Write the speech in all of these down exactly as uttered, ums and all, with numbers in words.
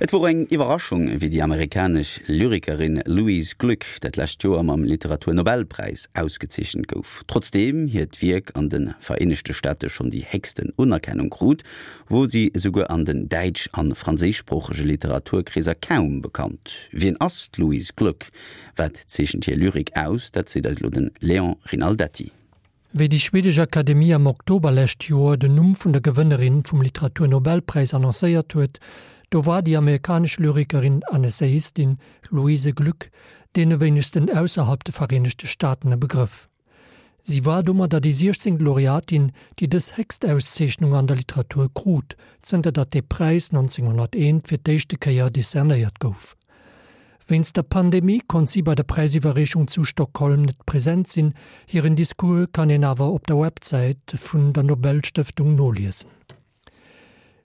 Et wor eng Iwwerraschung, wéi déi amerikanesch Lyrikerin Louise Glück dat lescht Joer mam Literaturnobelpräis ausgezeechent gouf. Trotzdeem hiert Wierk an de Vereenegte Staate schonn déi héchsten Unerkennung krut, wor si esouguer an den däitsch a franséischsproochege Literaturkreeser kaum bekannt. Wien ass d'Louise Glück? Wat zeechent hir Lyrik aus? Dat seet eis elo de Léon Rinaldetti. Wéi déi schwedesch Akademie am Oktober lescht Joer den Numm vun der Gewënnerin vum Literatur-Nobelpräis annoncéiert huet, do war déi amerikanesch Lyrikerin an Essayistin Louise Glück deene wéinegsten ausserhalb de Vereenegte Staaten e Begrëff. Si war domadder déi siechzéngt Laureatin, déi dës héchst Auszeechnung an der Literatur krut, zënter datt dee Präis nonzénghonnerteent fir d'éischte Kéier decernéiert gouf. Wéinst der Pandemie konnt si bei der Präisiwwerreechung zu Stockholm net present sinn, hiren Discours kann een awer op der Websäit vun der Nobelstëftung noliesen.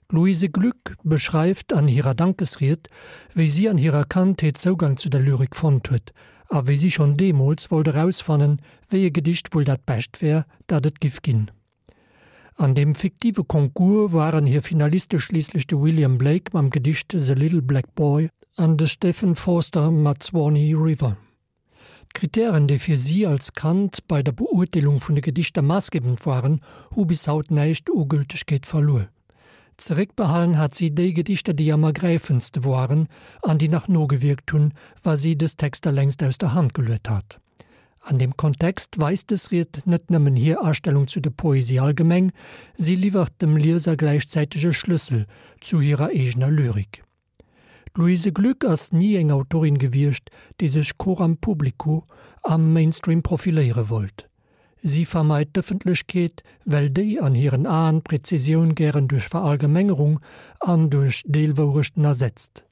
D'Louise Glück beschreift an hirer Dankesried, wéi si an hirer Kandheet Zougang zu der Lyrik fonnt huet a wéi si schonn deemools wollt erausfannen, wéi e Gedicht wuel dat bescht wär, dat et giff ginn. An deem fiktive Concours waren hir Finaliste schliisslech de William Blake mam Gedicht The Little Black Boy an de Stephen Forster mat Swanee River. D'Krittären, déi fir si als Kand bei der Beurteelung vun de Gedichter maassgebend waren, hu bis haut näischt u Gültegkeet verluer. Zeréckbehalen hat si déi Gedichter, déi am ergräifendste waren an déi nach nogewierkt hunn, wa si dës Texter längst aus der Hand geluet hat. An deem Kontext weist dës Ried net nëmmen hir Astellung zu der Poesie allgemeng, si liwwert dem Lieser gläichzäiteg e Schlëssel zu hirer eegener Lyrik. D'Louise Glück ass ni eng Autorin gewiescht, déi sech coram publico am Mainstream profiléiere wollt. Si vermeit d'Ëffentlechkeet, well déi an hiren Aen d'Präzisioun gären duerch Verallgemengerung an duerch Deelwourechten ersetzt.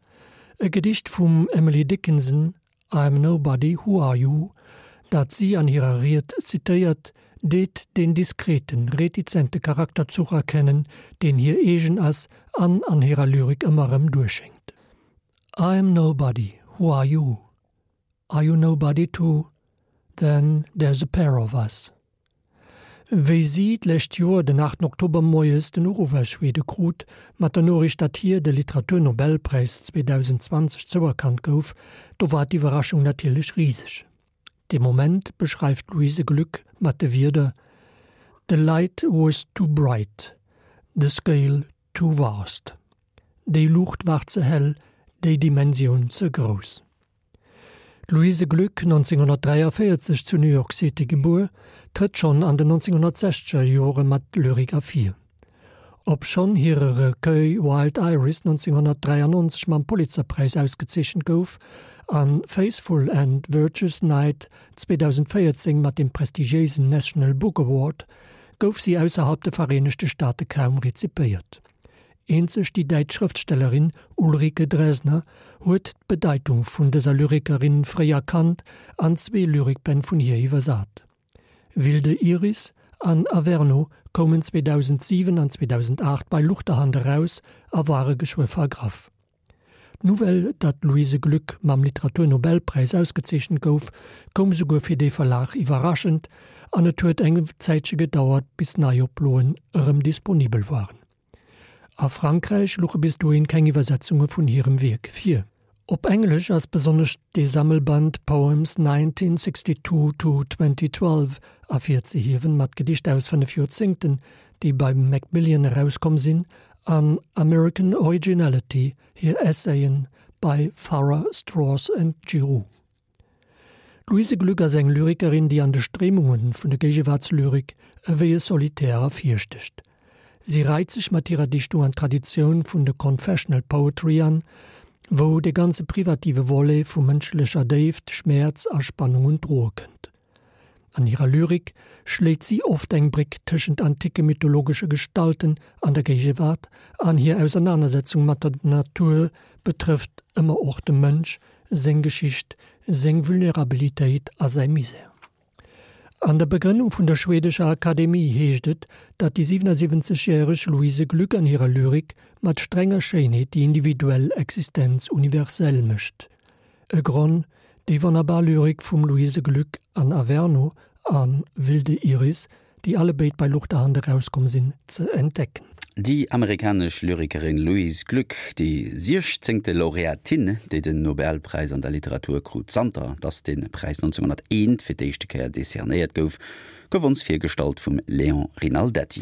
E Gedicht vum Emily Dickinson, I'm nobody, who are you? dat si an hirer Ried zitéiert, deet deen diskreten, retizente Charakterzuch erkennen, deen hir eegen ass an an hirer Lyrik ëmmer erëm duerchschéngt. I'm nobody, who are you? Are you nobody too? Then there's a pair of us. Wéi si d'lescht Joer den aachten Oktober moies den Uruff aus Schwede krut, mat der Noriicht, datt hir de Literaturnobelpräis zweedausendzwanzeg zouerkannt gouf, do war d'Iwwerraschung natierlech riseg. Dee Moment beschreift d'Louise Glück mat de Wierder, The light was too bright, the scale too vast. Déi Luucht war ze hell, déi Dimensioun ze grouss. D'Louise Glück, nonzénghonnertdräiavéierzeg zu New York City gebuer, trëtt schonn an den nonzénghonnertsechzeger Jore mat Lyrik ervir. Obschonn hire Recueil Wild Iris nonzénghonnertdräiannonzeg mam Pulitzerpräis ausgezeechent gouf an Faithful and Virtuous Night zweedausendvéierzéng mat dem prestigiéisen National Book Award, gouf si ausserhalb de Vereenegte Staate kaum rezipéiert. Eenzeg déi däitsch Schrëftstellerin Ulrike Draesner huet d'Bedeitung vun dëser Lyrikerin fréi erkannt an zwee Lyrikbänn vun hir iwwersat. Wilde Iris an Averno koumen zweedausendsiwen an zweedausendaacht bei Luchterhand eraus a ware geschwë vergraff. D'Nouvelle, datt d'Louise Glück mam Literaturnobelpräis ausgezeechent gouf, koum esouguer fir dee Verlag iwwerraschend an et huet eng Zäitche gedauert, bis Neioploen erëm disponibel waren. A Frankräich louche bis dohin keng Iwwersetzunge vun hirem Wierk vir. Op Englesch ass besonnesch de Sammelband Poems nineteen sixty-two to twenty twelve ervirzehiewen, mat Gedichter aus fënnef Joerzéngten, déi bei Macmillan erauskomm sinn, an American Originality, hir Essayen bei Farrar, Straus and Giroux. D'Louise Glück ass eng Lyrikerin, déi an de Stréimunge vun der Géigewaartslyrik ewéi e Solitär ervirstécht. Si reit sech mat hirer Dichtung an d'Traditioun vun der Confessional Poetry an, wou de ganze privative Volet vu mënschlecher Déift, Schmäerz a Spannung un d'Droe kënnt. An hirer Lyrik schléit si oft eng Bréck tëschent anticke mythologesche Gestalten an der Géigewaart an hir Ausernanersetzung mat der Natur betrëfft ëmmer och de Mënsch, seng Geschicht, seng Vulnerabilitéit a säi Misär. An der Begrënnung vun der schwedescher Akademie heescht et, datt déi siwenasiwwenzeg järeg Louise Glück an hirer Lyrik mat strenger Schéinheet déi individuell Existenz universell mécht. E Gronn, déi wonnerbar Lyrik vum Louise Glück an Averno a Wilde Iris, déi allebéid bei Luchterhand erauskomm sinn, ze entdecken. Déi amerikanesch Lyrikerin Louise Glück, déi siechzéngte Laureatin, déi den Nobelpräis an der Literatur krut, zanter datt de Präis neunzehnhunnerteent fir d'éischte Kéier decernéiert gouf, gouf ons virgestallt vum Léon Rinaldetti.